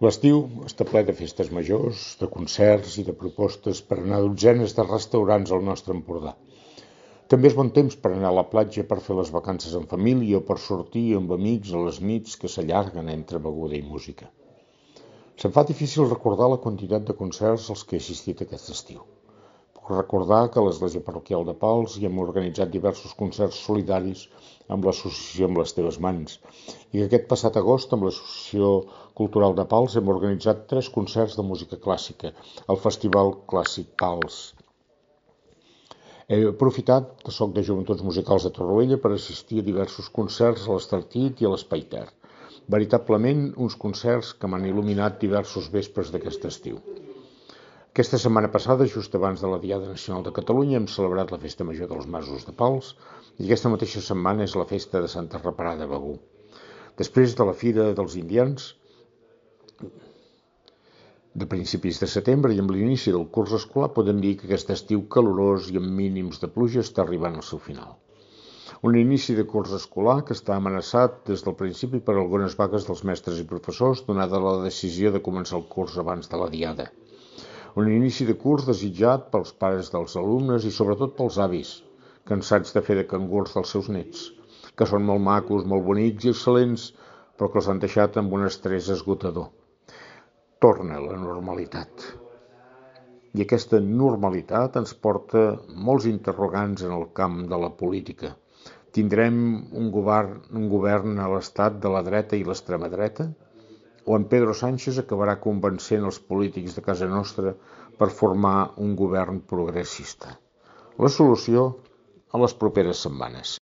L'estiu està ple de festes majors, de concerts i de propostes per anar a dotzenes de restaurants al nostre Empordà. També és bon temps per anar a la platja per fer les vacances en família o per sortir amb amics a les nits que s'allarguen entre beguda i música. Se'm fa difícil recordar la quantitat de concerts als que he assistit aquest estiu. Puc recordar que a l'Església Parroquial de Pals hi hem organitzat diversos concerts solidaris amb l'associació Amb les Teves Mans i que aquest passat agost amb l'Associació Cultural de Pals hem organitzat 3 concerts de música clàssica al Festival Clàssic Pals. He aprofitat que soc de Joventuts Musicals de Torroella per assistir a diversos concerts a l'Estartit i a l'Espai Ter. Veritablement uns concerts que m'han il·luminat diversos vespres d'aquest estiu. Aquesta setmana passada, just abans de la Diada Nacional de Catalunya, hem celebrat la Festa Major dels Masos de Pals i aquesta mateixa setmana és la Festa de Santa Reparada de Begur. Després de la Fira dels Indians, de principis de setembre i amb l'inici del curs escolar, podem dir que aquest estiu calorós i amb mínims de pluja està arribant al seu final. Un inici de curs escolar que està amenaçat des del principi per algunes vagues dels mestres i professors, donada la decisió de començar el curs abans de la Diada. Un inici de curs desitjat pels pares dels alumnes i sobretot pels avis, cansats de fer de cangurs dels seus nets, que són molt macos, molt bonics i excel·lents, però que els han deixat amb un estrès esgotador. Torna la normalitat. I aquesta normalitat ens porta molts interrogants en el camp de la política. Tindrem un govern a l'estat de la dreta i l'extrema dreta? O en Pedro Sánchez acabarà convencent els polítics de casa nostra per formar un govern progressista? La solució a les properes setmanes.